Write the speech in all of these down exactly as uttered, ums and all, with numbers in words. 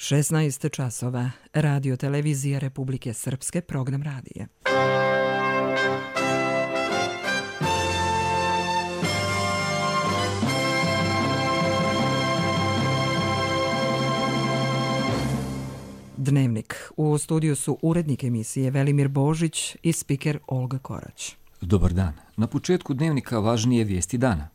šesnaest časova. Radio televizija Republike Srpske, program radija. Dnevnik. U studiju su urednik emisije Velimir Božić i spiker Olga Korać. Dobar dan. Na početku dnevnika važnije vijesti dana.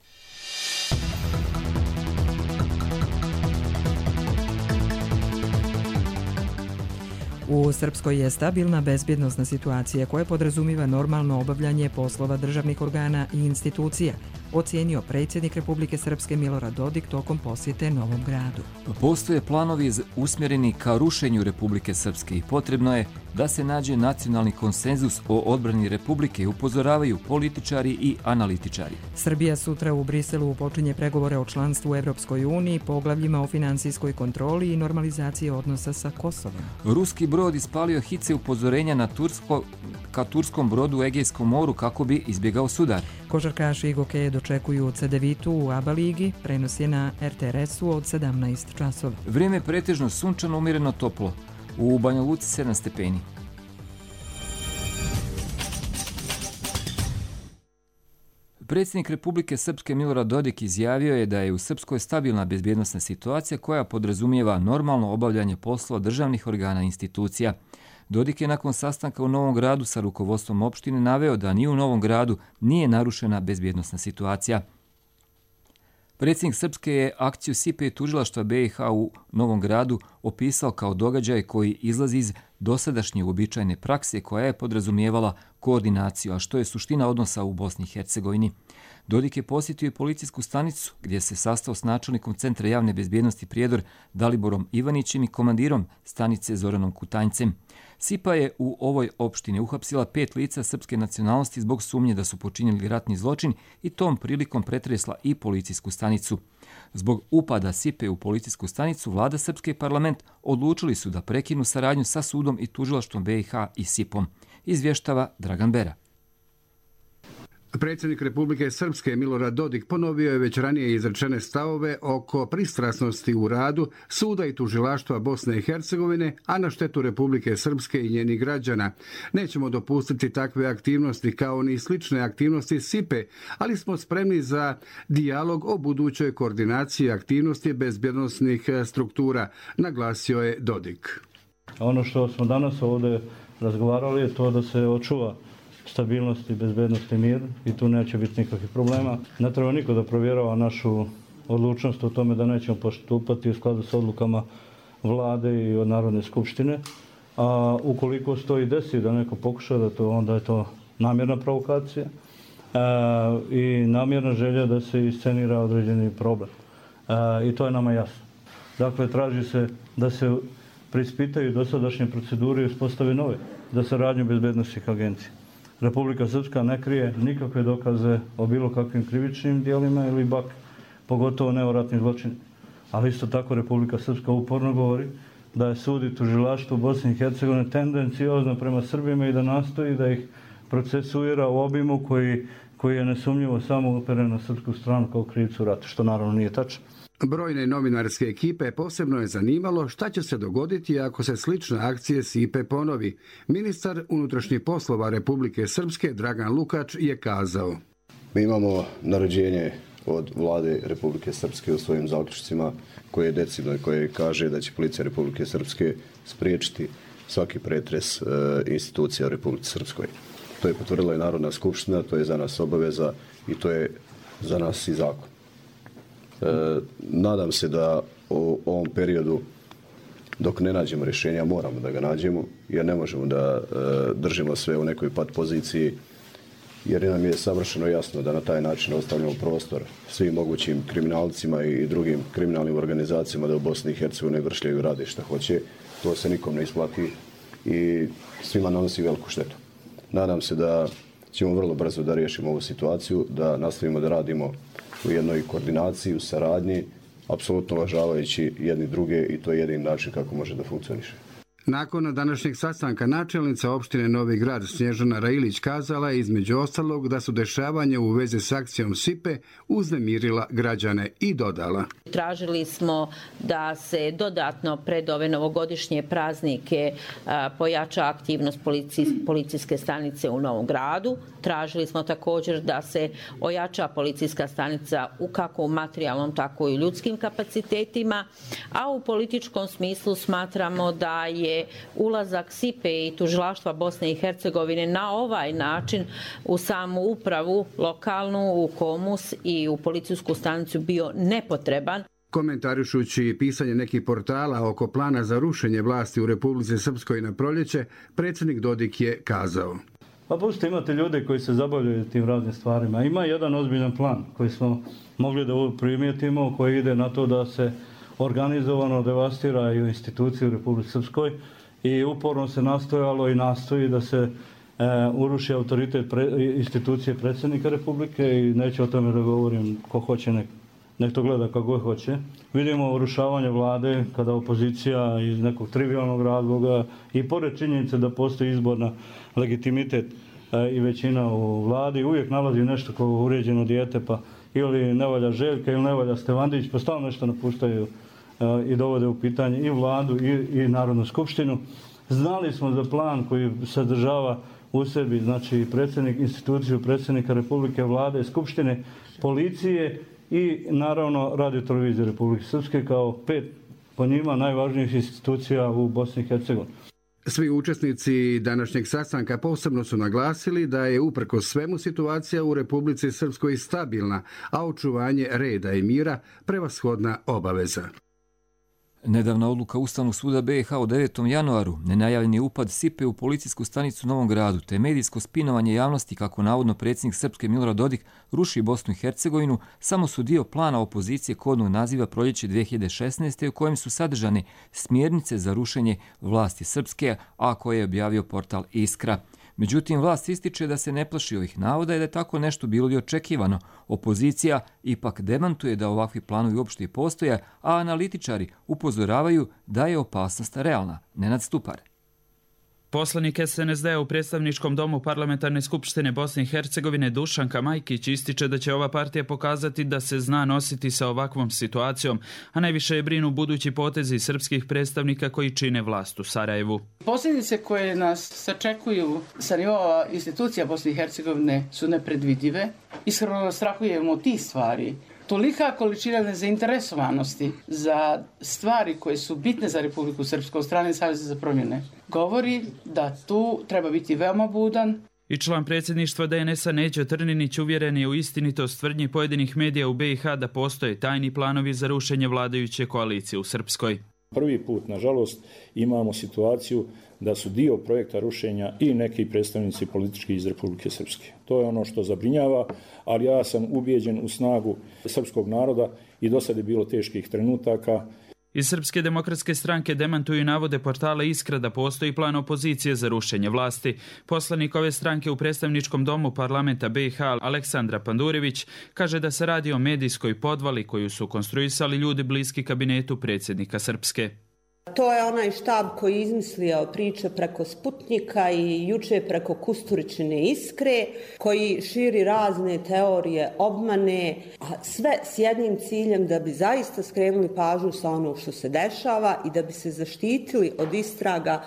U Srpskoj je stabilna bezbjednosna situacija koja podrazumiva normalno obavljanje poslova državnih organa i institucija, ocijenio predsjednik Republike Srpske Milorad Dodik tokom posjete Novom Gradu. Postoje planovi usmjereni ka rušenju Republike Srpske i potrebno je da se nađe nacionalni konsenzus o odbrani Republike, upozoravaju političari i analitičari. Srbija sutra u Briselu počinje pregovore o članstvu u Evropskoj uniji, poglavljima o finansijskoj kontroli i normalizaciji odnosa sa Kosovom. Ruski brod ispalio hice upozorenja na Tursko, ka turskom brodu u Egejskom moru kako bi izbjegao sudar. Košarkaši i gokeje dočekuju Cedevitu u ABA ligi, prenos je na er te er esu od sedamnaest časova. Vrijeme pretežno sunčano, umjereno toplo. U Banja Luci sedam stepeni. Predsjednik Republike Srpske Milorad Dodik izjavio je da je u Srpskoj stabilna bezbjednosna situacija koja podrazumijeva normalno obavljanje poslova državnih organa i institucija. Dodik je nakon sastanka u Novom Gradu sa rukovodstvom opštine naveo da ni u Novom Gradu nije narušena bezbjednosna situacija. Predsjednik Srpske je akciju S I P E tužilaštva be i ha u Novom Gradu opisao kao događaj koji izlazi iz dosadašnje uobičajene prakse koja je podrazumijevala koordinaciju, a što je suština odnosa u Bosni i Hercegovini. Dodik je posjetio i policijsku stanicu gdje se sastao s načelnikom Centra javne bezbjednosti Prijedor Daliborom Ivanićem i komandirom stanice Zoranom Kutanjcem. S I P A je u ovoj opštini uhapsila pet lica srpske nacionalnosti zbog sumnje da su počinili ratni zločin i tom prilikom pretresla i policijsku stanicu. Zbog upada S I P A u policijsku stanicu, vlada Srpske i parlament odlučili su da prekinu saradnju sa sudom i tužilaštvom be i ha i S I P om. Izvještava Dragan Bera. Predsjednik Republike Srpske Milorad Dodik ponovio je već ranije izrečene stavove oko pristrasnosti u radu suda i tužilaštva Bosne i Hercegovine, a na štetu Republike Srpske i njenih građana. Nećemo dopustiti takve aktivnosti kao ni slične aktivnosti S I P E, ali smo spremni za dijalog o budućoj koordinaciji aktivnosti bezbjednosnih struktura, naglasio je Dodik. Ono što smo danas ovdje razgovarali je to da se očuva stabilnost i bezbednost i mir i tu neće biti nikakvih problema. Ne treba niko da provjerava našu odlučnost o tome da nećemo postupati u skladu s odlukama vlade i od Narodne skupštine. A ukoliko stoji desi da neko pokuša da to, onda je to namjerna provokacija e, i namjerna želja da se iscenira određeni problem. E, I to je nama jasno. Dakle, traži se da se preispitaju dosadašnje procedure i uspostave nove za saradnju bezbednosnih agencija. Republika Srpska ne krije nikakve dokaze o bilo kakvim krivičnim dijelima ili bak, pogotovo ne o ratnim zločinima. Ali isto tako Republika Srpska uporno govori da je sud i tužilaštvo Bosne i Hercegovine tendenciozno prema Srbima i da nastoji da ih procesuira u obimu koji, koji je nesumnjivo samo uperen na srpsku stranu kao krivcu rata, što naravno nije tačno. Brojne novinarske ekipe posebno je zanimalo šta će se dogoditi ako se slična akcija S I P E ponovi. Ministar unutrašnjih poslova Republike Srpske Dragan Lukač je kazao: Mi imamo naređenje od vlade Republike Srpske u svojim zaključcima koje je decidno i koje kaže da će policija Republike Srpske spriječiti svaki pretres e, institucija u Republike Srpskoj. To je potvrdila i Narodna skupština, to je za nas obaveza i to je za nas i zakon. E, nadam se da u ovom periodu dok ne nađemo rješenja, moramo da ga nađemo, jer ne možemo da e, držimo sve u nekoj pat poziciji, jer nam je savršeno jasno da na taj način ostavljamo prostor svim mogućim kriminalcima i drugim kriminalnim organizacijama da u Bosni i Hercegovini vršljaju i rade šta hoće. To se nikom ne isplati i svima nanosi veliku štetu. Nadam se da ćemo vrlo brzo da riješimo ovu situaciju, da nastavimo da radimo u jednoj koordinaciji, u saradnji, apsolutno uvažavajući jedni druge i to je jedini način kako može da funkcioniše. Nakon današnjeg sastanka načelnica opštine Novi Grad Snježana Railić kazala je između ostalog da su dešavanja u vezi s akcijom Sipe uznemirila građane i dodala. Tražili smo da se dodatno pred ove novogodišnje praznike pojača aktivnost policijske stanice u Novom Gradu. Tražili smo također da se ojača policijska stanica u kako u materijalnom, tako i u ljudskim kapacitetima, a u političkom smislu smatramo da je ulazak Sipe i tužilaštva Bosne i Hercegovine na ovaj način u samu upravu lokalnu, u Komus i u policijsku stanicu bio nepotreban. Komentarišući pisanje nekih portala oko plana za rušenje vlasti u Republici Srpskoj na proljeće, predsjednik Dodik je kazao. Pa pustite, imate ljude koji se zabavljaju tim raznim stvarima. Ima jedan ozbiljan plan koji smo mogli da primijetimo, koji ide na to da se organizovano devastiraju institucije u Republici Srpskoj i uporno se nastojalo i nastoji da se e, uruši autoritet pre, institucije predsjednika Republike i neću o tome da govorim, ko hoće nek, nek to gleda kako hoće. Vidimo urušavanje vlade kada opozicija iz nekog trivialnog razloga i pored činjenice da postoji izborna legitimitet e, i većina u vladi uvijek nalazi nešto kao uređeno dijete, pa ili ne valja Željka ili ne valja Stevandić, pa stalno nešto napuštaju i dovode u pitanje i vladu i, i Narodnu skupštinu. Znali smo za plan koji sadržava u sebi, znači predsjednik, instituciju predsjednika Republike, vlade, skupštine, policije i naravno Radio televizije Republike Srpske kao pet po njima najvažnijih institucija u Bosni i Hercegovini. Svi učesnici današnjeg sastanka posebno su naglasili da je uprkos svemu situacija u Republici Srpskoj stabilna, a očuvanje reda i mira prevashodna obaveza. Nedavna odluka Ustavnog suda B i H u devetom januaru, nenajavljeni upad Sipe u policijsku stanicu u Novom Gradu, te medijsko spinovanje javnosti kako navodno predsjednik Srpske Milorad Dodik ruši Bosnu i Hercegovinu, samo su dio plana opozicije kodnog naziva Proljeće dvije hiljade šesnaeste. u kojem su sadržane smjernice za rušenje vlasti Srpske, a koje je objavio portal Iskra. Međutim, vlast ističe da se ne plaši ovih navoda i da je tako nešto bilo i očekivano. Opozicija ipak demantuje da ovakvi planovi uopšte i postoje, a analitičari upozoravaju da je opasnost realna. Nenad Stupar. Poslanik S N S D u predstavničkom domu Parlamentarne skupštine Bosne i Hercegovine Dušanka Majkić ističe da će ova partija pokazati da se zna nositi sa ovakvom situacijom, a najviše je brinu budući potezi srpskih predstavnika koji čine vlast u Sarajevu. Posljedice koje nas sačekuju sa nivoa institucija Bosne i Hercegovine su nepredvidive. Iskreno strahujemo tih stvari. Tolika količina nezainteresovanosti za stvari koje su bitne za Republiku Srpsku od strane Saveza za promjene govori da tu treba biti veoma budan. I član predsjedništva D N S-a Neđo Trninić uvjeren je u istinitost tvrdnji pojedinih medija u B i H da postoje tajni planovi za rušenje vladajuće koalicije u Srpskoj. Prvi put, nažalost, imamo situaciju da su dio projekta rušenja i neki predstavnici politički iz Republike Srpske. To je ono što zabrinjava, ali ja sam ubijeđen u snagu srpskog naroda i do sada je bilo teških trenutaka. Iz Srpske demokratske stranke demantuju navode portala Iskra da postoji plan opozicije za rušenje vlasti. Poslanik ove stranke u predstavničkom domu parlamenta B i H Aleksandra Pandurević kaže da se radi o medijskoj podvali koju su konstruisali ljudi bliski kabinetu predsjednika Srpske. To je onaj štab koji je izmislio priče preko Sputnika i juče preko Kusturičine Iskre, koji širi razne teorije obmane, a sve s jednim ciljem da bi zaista skrenuli pažnju sa onog što se dešava i da bi se zaštitili od istraga.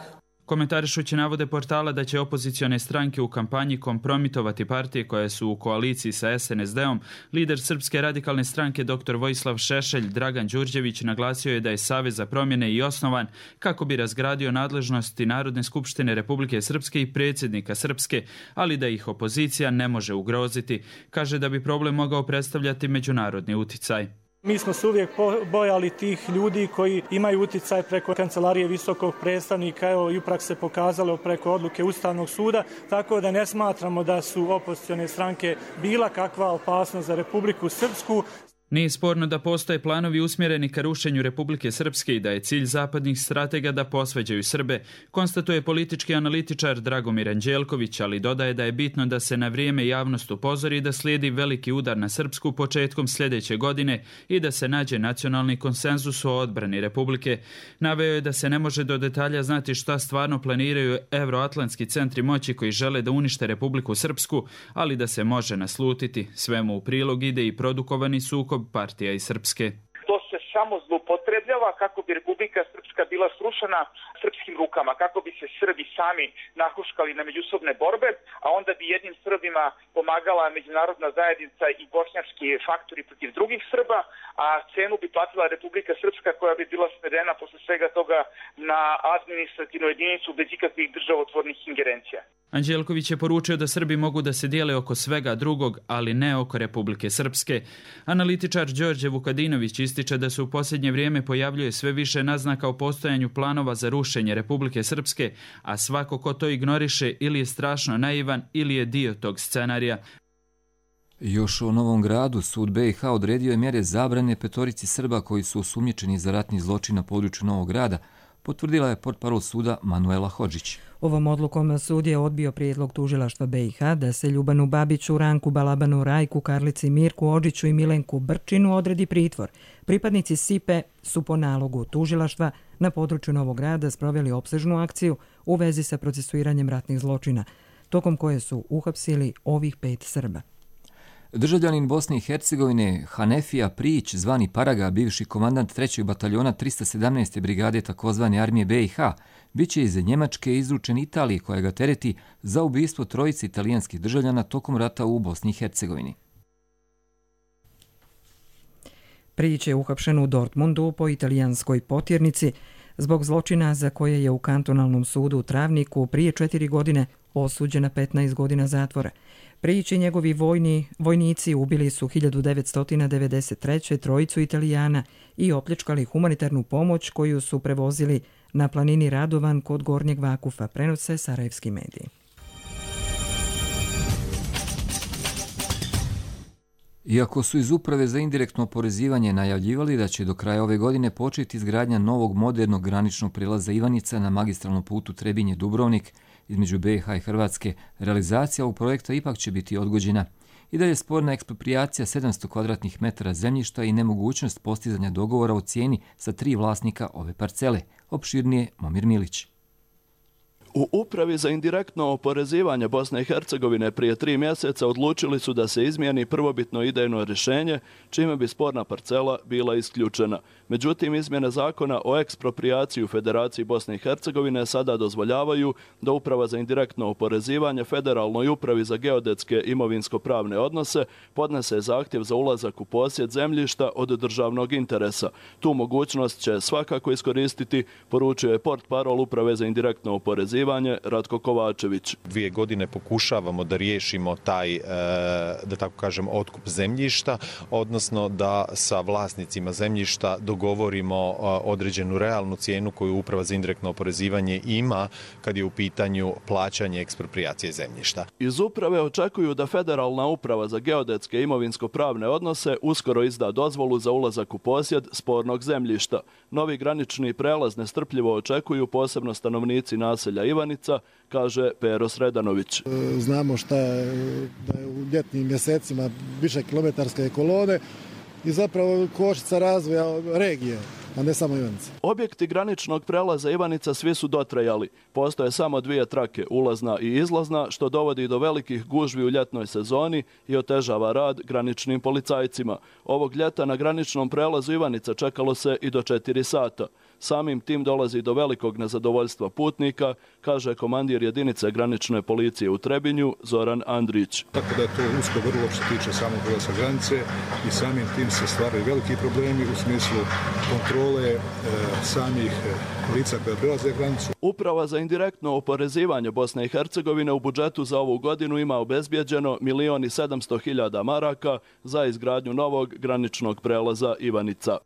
Komentarišući navode portala da će opozicione stranke u kampanji kompromitovati partije koje su u koaliciji sa S N S D-om, lider Srpske radikalne stranke dr Vojislav Šešelj Dragan Đurđević naglasio je da je Savez za promjene i osnovan kako bi razgradio nadležnosti Narodne skupštine Republike Srpske i predsjednika Srpske, ali da ih opozicija ne može ugroziti. Kaže da bi problem mogao predstavljati međunarodni uticaj. Mi smo se uvijek bojali tih ljudi koji imaju uticaj preko kancelarije visokog predstavnika, evo i uprak se pokazalo preko odluke Ustavnog suda, tako da ne smatramo da su opozicione stranke bila kakva opasnost za Republiku Srpsku. Nije sporno da postoje planovi usmjereni ka rušenju Republike Srpske i da je cilj zapadnih stratega da posvađaju Srbe, konstatuje politički analitičar Dragomir Anđelković, ali dodaje da je bitno da se na vrijeme javnost upozori da slijedi veliki udar na Srpsku početkom sljedeće godine i da se nađe nacionalni konsenzus o odbrani Republike. Naveo je da se ne može do detalja znati šta stvarno planiraju evroatlantski centri moći koji žele da unište Republiku Srpsku, ali da se može naslutiti. Svemu u prilog ide i produkovani sukob partija i Srpske. To se samo zloupotrebljava kako bi Republika Srpska bila srušena srpskim rukama, kako bi se Srbi sami nahuškali na međusobne borbe, a onda bi jednim Srbima pomagala međunarodna zajednica i bošnjački faktori protiv drugih Srba, a cenu bi platila Republika Srpska koja bi bila svedena posle svega toga na administrativnu jedinicu bez ikakvih državotvornih ingerencija. Anđelković je poručio da Srbi mogu da se dijele oko svega drugog, ali ne oko Republike Srpske. Analitičar Đorđe Vukadinović ističe da se u posljednje vrijeme pojavljuje sve više naznaka o postojanju planova za rušenje Republike Srpske, a svako ko to ignoriše ili je strašno naivan ili je dio tog scenarija. Još o Novom Gradu sud B i H odredio je mjere zabrane petorici Srba koji su osumnjičeni za ratni zločin na području Novog Grada, potvrdila je portparol suda Manuela Hodžić. Ovom odlukom sud je odbio prijedlog tužilaštva B i H da se Ljubanu Babiću, Ranku Balabanu, Rajku, Karlici, Mirku Odžiću i Milenku Brčinu odredi pritvor. Pripadnici S I P E su po nalogu tužilaštva na području Novog Grada sproveli opsežnu akciju u vezi sa procesuiranjem ratnih zločina, tokom koje su uhapsili ovih pet Srba. Državljanin Bosne i Hercegovine Hanefija Prijić, zvani Paraga, bivši komandant trećeg bataljona tristo sedamnaeste brigade takozvane armije B i H, bit će iz Njemačke izručen Italiji koja ga tereti za ubistvo trojice italijanskih državljana tokom rata u Bosni i Hercegovini. Prijić je uhapšen u Dortmundu po italijanskoj potjernici zbog zločina za koje je u kantonalnom sudu u Travniku prije četiri godine osuđen na petnaest godina zatvora. Prijić i njegovi vojni, vojnici ubili su hiljadu devetsto devedeset treće trojicu Italijana i opljačkali humanitarnu pomoć koju su prevozili na planini Radovan kod Gornjeg Vakufa, prenose sarajevski mediji. Iako su iz Uprave za indirektno oporezivanje najavljivali da će do kraja ove godine početi izgradnja novog modernog graničnog prijelaza Ivanica na magistralnom putu Trebinje-Dubrovnik između B i H i Hrvatske, realizacija ovog projekta ipak će biti odgođena. I dalje je sporna eksproprijacija sedamsto kvadratnih metara zemljišta i nemogućnost postizanja dogovora o cijeni sa tri vlasnika ove parcele. Opširnije Momir Milić. U Upravi za indirektno oporezivanje Bosne i Hercegovine prije tri mjeseca odlučili su da se izmijeni prvobitno idejno rješenje, čime bi sporna parcela bila isključena. Međutim, izmjene zakona o eksproprijaciji u Federaciji Bosne i Hercegovine sada dozvoljavaju da Uprava za indirektno oporezivanje Federalnoj upravi za geodetske imovinsko-pravne odnose podnese zahtjev za ulazak u posjed zemljišta od državnog interesa. Tu mogućnost će svakako iskoristiti, poručuje portparol Uprave za indirektno oporezivanje Ratko Kovačević. Dvije godine pokušavamo da riješimo taj, da tako kažem, otkup zemljišta, odnosno da sa vlasnicima zemljišta dogovorimo određenu realnu cijenu koju Uprava za indirektno oporezivanje ima kad je u pitanju plaćanje eksproprijacije zemljišta. Iz uprave očekuju da Federalna uprava za geodetske imovinsko-pravne odnose uskoro izda dozvolu za ulazak u posjed spornog zemljišta. Novi granični prelaz nestrpljivo očekuju posebno stanovnici naselja Ivanica, kaže Pero Sredanović. Znamo šta je, da je u ljetnim mjesecima više kilometarske kolone i zapravo kočnica razvoja regije, a ne samo Ivanica. Objekti graničnog prelaza Ivanica svi su dotrajali. Postoje samo dvije trake, ulazna i izlazna, što dovodi do velikih gužvi u ljetnoj sezoni i otežava rad graničnim policajcima. Ovog ljeta na graničnom prelazu Ivanica čekalo se i do četiri sata. Samim tim dolazi do velikog nezadovoljstva putnika, kaže komandir jedinice granične policije u Trebinju, Zoran Andrić. Tako da je to usko grlo što se tiče samog prelaza granice i samim tim se stvaraju veliki problemi u smislu kontrole e, samih lica koja prelaze granicu. Uprava za indirektno oporezivanje Bosne i Hercegovine u budžetu za ovu godinu ima obezbijeđeno milion i sedamsto hiljada maraka za izgradnju novog graničnog prelaza Ivanica.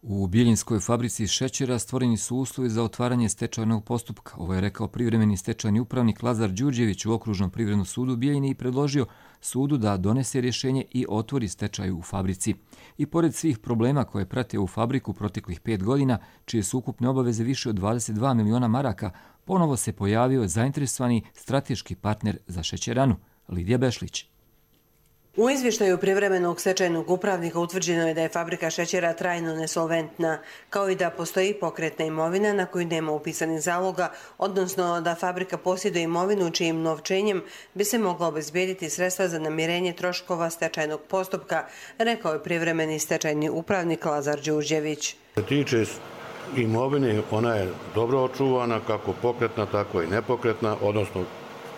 U Bijeljinskoj fabrici šećera stvoreni su uslovi za otvaranje stečajnog postupka. Ovo je rekao privremeni stečajni upravnik Lazar Đurđević u Okružnom privrednom sudu u Bijeljini i predložio sudu da donese rješenje i otvori stečaj u fabrici. I pored svih problema koje prate u fabriku proteklih pet godina, čije su ukupne obaveze više od dvadeset dva miliona maraka, ponovo se pojavio zainteresovani strateški partner za šećeranu, Lidija Bešlić. U izvještaju privremenog stečajnog upravnika utvrđeno je da je fabrika šećera trajno nesolventna, kao i da postoji pokretna imovina na koju nema upisanih zaloga, odnosno da fabrika posjeduje imovinu čijim novčenjem bi se mogla obezbijediti sredstva za namirenje troškova stečajnog postupka, rekao je privremeni stečajni upravnik Lazar Đurđević. Što se tiče imovine, ona je dobro očuvana, kako pokretna, tako i nepokretna, odnosno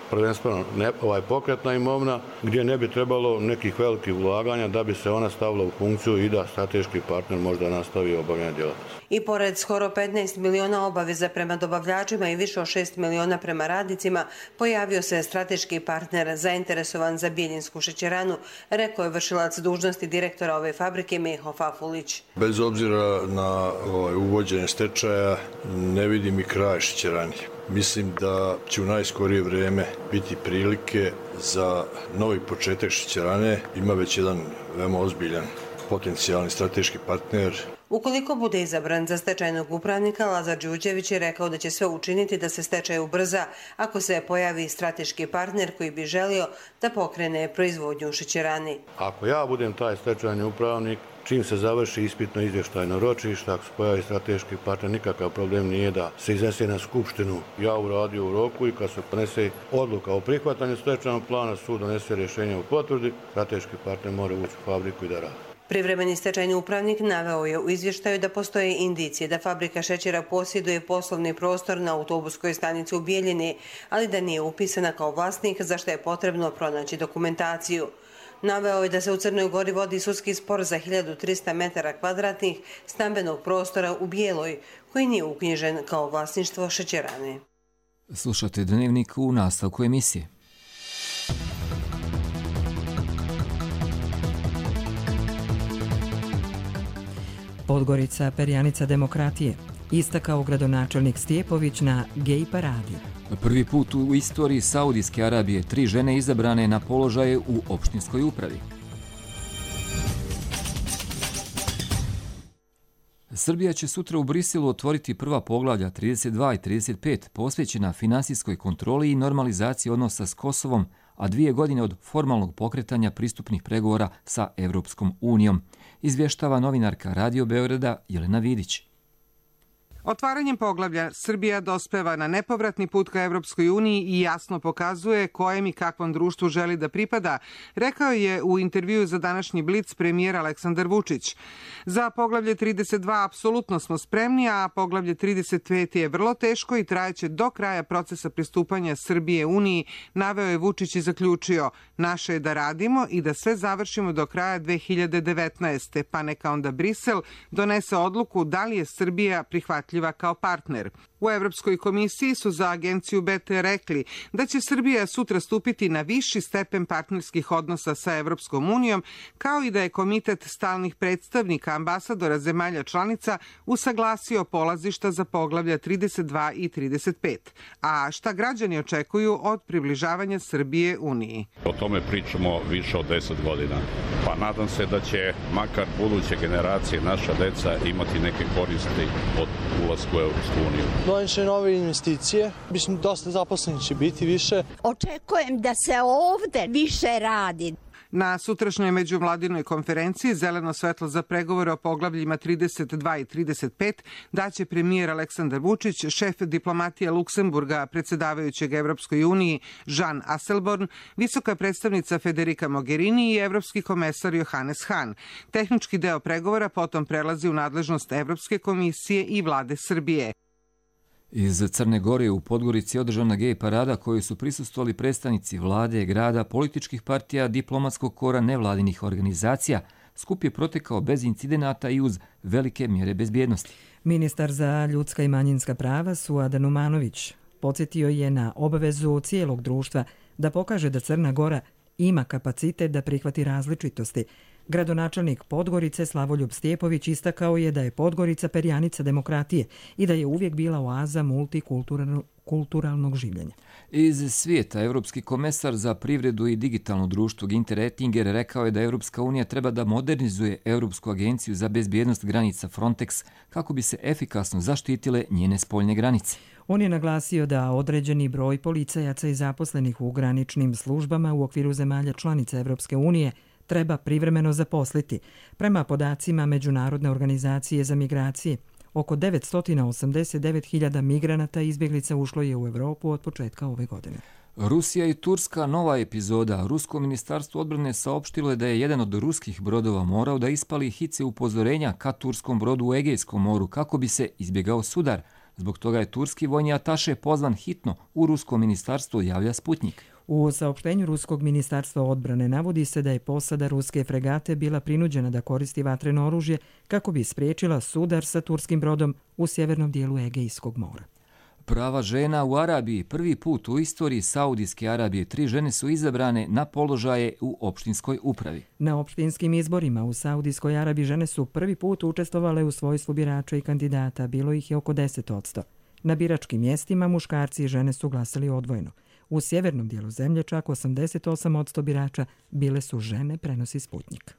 prvenstveno ne, ovaj pokretna imovina, gdje ne bi trebalo nekih velikih ulaganja da bi se ona stavila u funkciju i da strateški partner možda nastavi obavljanje djelatnosti. I pored skoro petnaest miliona obaveza prema dobavljačima i više od šest miliona prema radnicima, pojavio se strateški partner zainteresovan za Bijeljinsku šećeranu, rekao je vršilac dužnosti direktora ove fabrike Meho Fafulić. Bez obzira na ovaj, uvođenje stečaja, ne vidim i kraj šećerani. Mislim da će u najskorije vrijeme biti prilike za novi početak šećerane. Ima već jedan veoma ozbiljan potencijalni strateški partner. Ukoliko bude izabran za stečajnog upravnika, Lazar Đurđević je rekao da će sve učiniti da se stečaj ubrza ako se pojavi strateški partner koji bi želio da pokrene proizvodnju u šećerani. Ako ja budem taj stečajni upravnik, čim se završi ispitno izvještajno ročište, ako se pojavi strateški partner, nikakav problem nije da se iznese na skupštinu. Ja uradio u roku i kad se ponese odluka o prihvatanju stečajnog plana, sud donese rješenje u potvrdi, strateški partner mora ući u fabriku i da radi. Privremeni stečajni upravnik naveo je u izvještaju da postoje indicije da fabrika šećera posjeduje poslovni prostor na autobuskoj stanici u Bijeljini, ali da nije upisana kao vlasnik, za što je potrebno pronaći dokumentaciju. Naveo je da se u Crnoj Gori vodi sudski spor za hiljadu trista metara kvadratnih stambenog prostora u Bijeloj, koji nije uknjižen kao vlasništvo šećerane. Slušate Dnevnik u nastavku emisije. Podgorica, perjanica demokratije, istakao gradonačelnik Stjepović na gej paradi. Prvi put u istoriji Saudijske Arabije tri žene izabrane na položaje u opštinskoj upravi. Srbija će sutra u Briselu otvoriti prva poglavlja trideset dva i trideset pet posvećena finansijskoj kontroli i normalizaciji odnosa s Kosovom, a dvije godine od formalnog pokretanja pristupnih pregovora sa Evropskom unijom, izvještava novinarka Radio Beograda Jelena Vidić. Otvaranjem poglavlja Srbija dospeva na nepovratni put ka Evropskoj uniji i jasno pokazuje kojem i kakvom društvu želi da pripada, rekao je u intervjuu za današnji Blic premijer Aleksandar Vučić. Za poglavlje trideset dva apsolutno smo spremni, a poglavlje trideset pet je vrlo teško i trajeće do kraja procesa pristupanja Srbije Uniji, naveo je Vučić i zaključio: naše je da radimo i da sve završimo do kraja dve hiljade devetnaeste. pa neka onda Brisel donese odluku da li je Srbija prihvatljiva kao partner. U Evropskoj komisiji su za agenciju B T rekli da će Srbija sutra stupiti na viši stepen partnerskih odnosa sa Evropskom unijom, kao i da je komitet stalnih predstavnika ambasadora zemalja članica usaglasio polazišta za poglavlja trideset dva i trideset pet. A šta građani očekuju od približavanja Srbije Uniji? O tome pričamo više od deset godina. Pa nadam se da će makar buduće generacije, naša deca, imati neke koristi od ulaska u Evropsku uniju. Doneće nove investicije, mislim dosta zaposlenih će biti više. Očekujem da se ovde više radi. Na sutrašnjoj međuvladinoj konferenciji zeleno svetlo za pregovore o poglavljima trideset dva i trideset pet daće premijer Aleksandar Vučić, šef diplomatije Luksemburga, predsjedavajućeg Evropskoj uniji Jean Asselborn, visoka predstavnica Federica Mogherini i evropski komesar Johannes Hahn. Tehnički deo pregovora potom prelazi u nadležnost Evropske komisije i vlade Srbije. Iz Crne Gore u Podgorici je održana gej parada koju su prisustvovali predstavnici vlade, grada, političkih partija, diplomatskog kora, nevladinih organizacija. Skup je protekao bez incidenata i uz velike mjere bezbjednosti. Ministar za ljudska i manjinska prava Suad Numanović podsjetio je na obavezu cijelog društva da pokaže da Crna Gora ima kapacitet da prihvati različitosti, Gradonačelnik Podgorice Slavoljub Stjepović istakao je da je Podgorica perjanica demokratije i da je uvijek bila oaza multikulturalnog življenja. Iz svijeta, Europski komesar za privredu i digitalno društvo Ginter Ettinger rekao je da Europska unija treba da modernizuje Europsku agenciju za bezbjednost granica Frontex kako bi se efikasno zaštitile njene spoljne granice. On je naglasio da određeni broj policajaca i zaposlenih u graničnim službama u okviru zemalja članica Europske unije treba privremeno zaposliti. Prema podacima Međunarodne organizacije za migracije, oko devetsto osamdeset devet hiljada migranata i izbjeglica ušlo je u Europu od početka ove godine. Rusija i Turska, nova epizoda. Rusko ministarstvo odbrane saopštilo je da je jedan od ruskih brodova morao da ispali hice upozorenja ka turskom brodu u Egejskom moru kako bi se izbjegao sudar. Zbog toga je turski vojni ataše pozvan hitno u Rusko ministarstvo, javlja Sputnik. U saopštenju Ruskog ministarstva odbrane navodi se da je posada ruske fregate bila prinuđena da koristi vatreno oružje kako bi spriječila sudar sa turskim brodom u sjevernom dijelu Egejskog mora. Prava žena u Arabiji. Prvi put u istoriji Saudijske Arabije tri žene su izabrane na položaje u opštinskoj upravi. Na opštinskim izborima u Saudijskoj Arabiji žene su prvi put učestvovale u svojstvu birača i kandidata. Bilo ih je oko deset odsto. Na biračkim mjestima muškarci i žene su glasali odvojeno. U sjevernom dijelu zemlje čak osamdeset osam odsto birača bile su žene, prenosi Sputnik.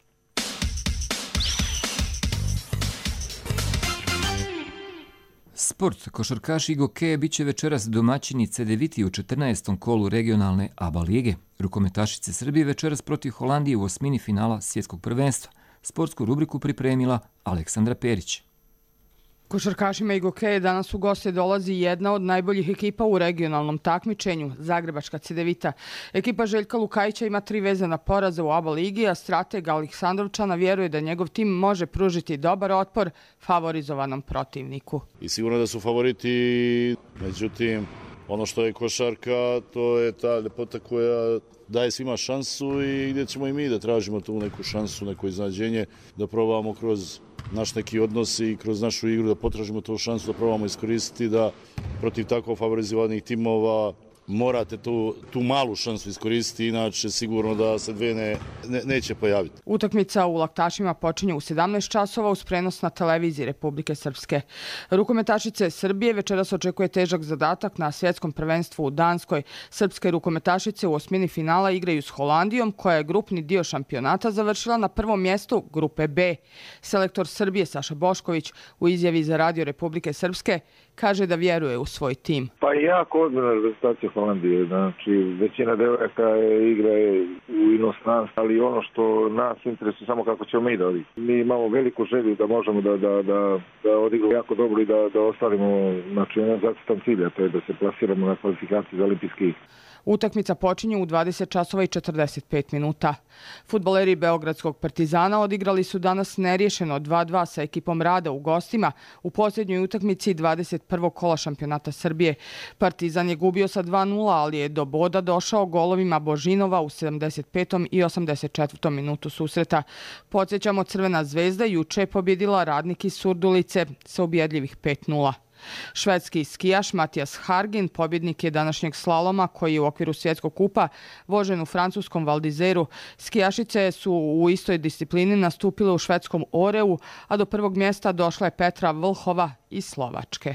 Sport. Košarkaši Gokeje bit će večeras domaćini Cedeviti u četrnaestom kolu regionalne A B A lige. Rukometašice Srbije večeras protiv Holandije u osmini finala svjetskog prvenstva. Sportsku rubriku pripremila Aleksandra Perić. Košarkašima Igokeje danas u goste dolazi jedna od najboljih ekipa u regionalnom takmičenju, Zagrebačka Cedevita. Ekipa Željka Lukajića ima tri vezana poraza u A B A ligi, a strateg Aleksandrovčana vjeruje da njegov tim može pružiti dobar otpor favorizovanom protivniku. I sigurno da su favoriti, međutim, ono što je košarka, to je ta ljepota koja daje svima šansu i gdje ćemo i mi da tražimo tu neku šansu, neko iznađenje, da probamo kroz naš neki odnos i kroz našu igru da potražimo tu šansu, da probamo iskoristiti, da protiv tako favorizovanih timova morate tu, tu malu šansu iskoristiti, inače sigurno da se dve ne, ne, neće pojaviti. Utakmica u Laktašima počinje u sedamnaest časova uz prenos na televiziji Republike Srpske. Rukometašice Srbije večeras očekuje težak zadatak na svjetskom prvenstvu u Danskoj. Srpske rukometašice u osmini finala igraju s Holandijom, koja je grupni dio šampionata završila na prvom mjestu grupe B. Selektor Srbije Saša Bošković u izjavi za Radio Republike Srpske kaže da vjeruje u svoj tim. Pa i jako ozbiljna reprezentacija Holandije. Znači, većina devojaka igra je u inostranstvu, ali ono što nas interesuje samo kako ćemo mi da odigramo. Mi imamo veliku želju da možemo da, da, da, da odigramo jako dobro i da, da ostvarimo, znači, jedan zacrtan cilj, a to je da se plasiramo na kvalifikaciji za olimpijske igre. Utakmica počinje u dvadeset časova i četrdeset pet minuta. Fudbaleri Beogradskog Partizana odigrali su danas neriješeno dva dva sa ekipom Rada u gostima u posljednjoj utakmici dvadeset prvog kola šampionata Srbije. Partizan je gubio sa dva nula, ali je do boda došao golovima Božinova u sedamdeset petom i osamdeset četvrtom minutu susreta. Podsjećamo, Crvena zvezda juče je pobjedila Radnik iz Surdulice sa ubjedljivih pet nula. Švedski skijaš Matijas Hargin pobjednik je današnjeg slaloma koji je u okviru svjetskog kupa vožen u francuskom Val d'Izeru. Skijašice su u istoj disciplini nastupile u švedskom Oreu, a do prvog mjesta došla je Petra Vlhova iz Slovačke.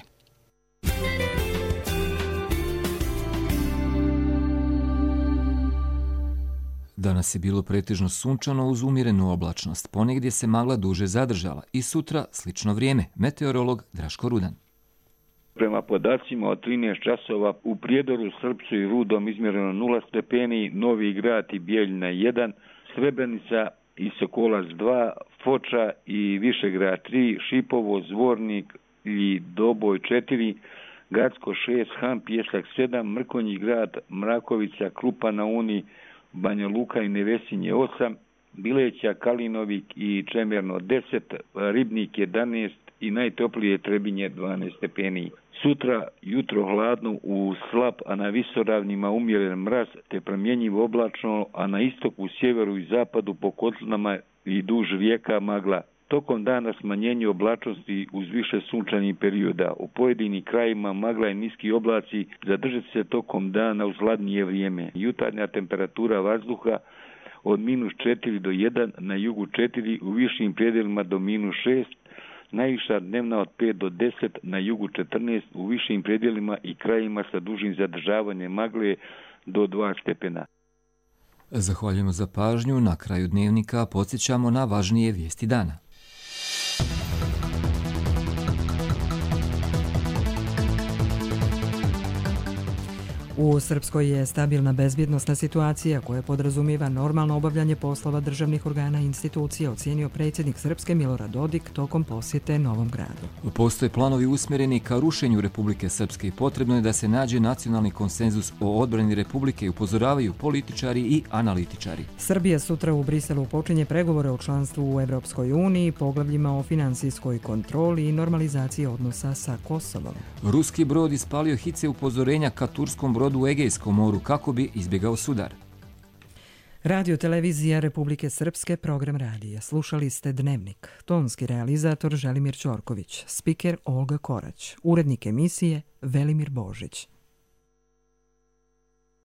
Danas je bilo pretežno sunčano uz umjerenu oblačnost. Ponegdje se magla duže zadržala i sutra slično vrijeme. Meteorolog Draško Rudan. Prema podacima od trinaest časova u Prijedoru, Srpcu i Rudom izmjereno nula stepeni, Novi Grad i Bijeljina jedan, Srebrenica i Sokolac dva, Foča i Višegrad tri, Šipovo, Zvornik i Doboj četiri, Gacko šest, Han Pjesak sedam, Mrkonji Grad, Mrakovica, Krupa na Uni, Banja Luka i Nevesinje osam, Bileća, Kalinovik i Čemerno deset, Ribnik jedanaest i najtoplije Trebinje dvanaest stepeni. Sutra jutro hladno u slab, a na visoravnima umjeren mraz te promjenjivo oblačno, a na istoku, sjeveru i zapadu po kotlinama i duž rijeka magla. Tokom dana smanjenje oblačnosti uz više sunčanih perioda. U pojedinim krajima magla i niski oblaci zadržat se tokom dana uz hladnije vrijeme. Jutarnja temperatura vazduha od minus četiri do jedan, na jugu četiri, u višim predjelima do minus šest, najviša dnevna od pet do deset, na jugu četrnaest, u višim predjelima i krajima sa dužim zadržavanjem magle do dva stepena. Zahvaljujemo za pažnju. Na kraju dnevnika podsjećamo na važnije vijesti dana. U Srpskoj je stabilna bezbjednosna situacija koja podrazumijeva normalno obavljanje poslova državnih organa i institucija, ocijenio predsjednik Srpske Milorad Dodik tokom posjete Novom Gradu. Postoje planovi usmjereni ka rušenju Republike Srpske i potrebno je da se nađe nacionalni konsenzus o odbrani Republike i upozoravaju političari i analitičari. Srbija sutra u Briselu počinje pregovore o članstvu u Evropskoj uniji, poglavljima o finansijskoj kontroli i normalizaciji odnosa sa Kosovom. Ruski brod ispalio hice upozorenja ka turskom brodu u Egejskom moru kako bi izbjegao sudar. Radio televizija Republike Srpske, program radija. Slušali ste Dnevnik. Tonski realizator Želimir Ćorković, spiker Olga Korać, urednik emisije Velimir Božić.